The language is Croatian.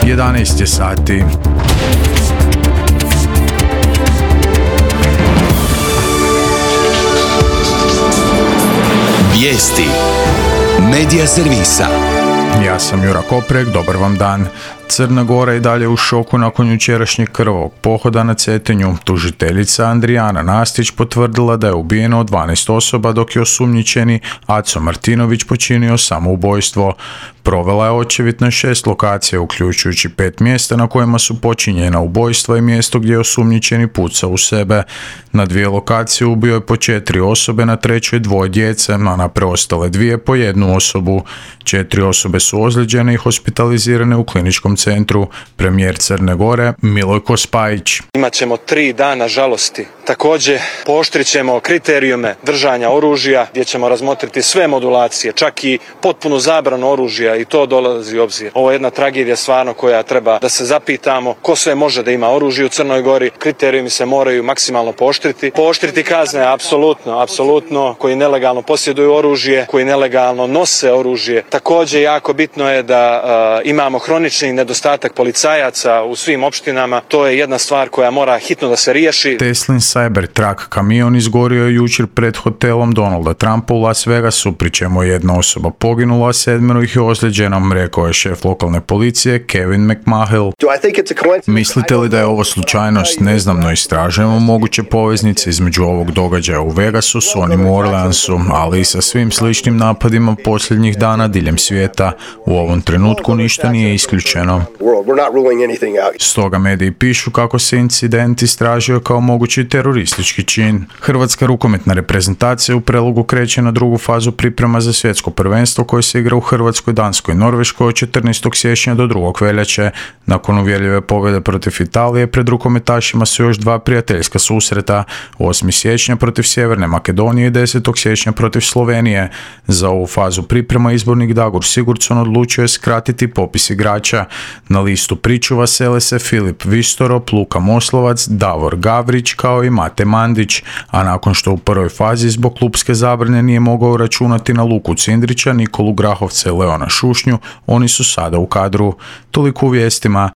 11 je sati. Vijesti Medija servisa. Ja sam Jura Koprek, dobar vam dan. Crna Gora i dalje u šoku nakon jučerašnjeg krvavog pohoda na Cetinju. Tužiteljica Andrijana Nastić potvrdila da je ubijeno 12 osoba, dok je osumnjičeni Aco Martinović počinio samoubojstvo. Provela je očevid na 6 lokacija, uključujući 5 mjesta na kojima su počinjena ubojstva i mjesto gdje je osumnjičeni pucao u sebe. Na 2 lokacije ubio je po 4 osobe, na 3. 2 djece, a na preostale 2 po 1 osobu. 4 osobe su ozlijeđene i hospitalizirane u kliničkom centru. Premijer Crne Gore Milojko Spajić. Imaćemo 3 dana žalosti. Također pooštrit ćemo kriterijume držanja oružja, gdje ćemo razmotriti sve modulacije, čak i potpunu zabranu oružja, i to dolazi u obzir. Ovo je jedna tragedija stvarno koja treba da se zapitamo ko sve može da ima oružje u Crnoj Gori. Kriterijumi se moraju maksimalno pooštriti. Pooštriti kazne, apsolutno, koji nelegalno posjeduju oružje, koji nelegalno nose oružje. Također jako bitno je da imamo hronični nedostatak policajaca u svim opštinama. To je jedna stvar koja mora hitno da se riješi. Teslin Cybertruck kamion izgorio je jučer pred hotelom Donalda Trumpa u Las Vegasu, pri čemu je 1 osoba poginula, 7 ih je ozlijeđeno, rekao je šef lokalne policije Kevin McMahill. Mislite li da je ovo slučajnost? Ne znam, no istražujemo moguće poveznice između ovog događaja u Vegasu s onim u Orleansu, ali i sa svim sličnim napadima posljednjih dana diljem svijeta. U ovom trenutku ništa nije isključeno. Stoga mediji pišu kako se incident istražio kao mogući teroristički čin. Hrvatska rukometna reprezentacija u Prelogu kreće na drugu fazu priprema za svjetsko prvenstvo koje se igra u Hrvatskoj, Danskoj i Norveškoj od 14. siječnja do 2. veljače. Nakon uvjerljive pobjede protiv Italije, pred rukometašima su još 2 prijateljska susreta, 8. siječnja protiv Sjeverne Makedonije i 10. siječnja protiv Slovenije. Za ovu fazu priprema izbornik Dagur Sigurdsson odlučio je skratiti popis igrača. Na listu pričuva sele se Filip Vistorop, Luka Moslovac, Davor Gavrić kao i Mate Mandić, a nakon što u prvoj fazi zbog klupske zabrane nije mogao računati na Luku Cindrića, Nikolu Grahovca i Leona Šušnju, oni su sada u kadru. Toliko u vijestima,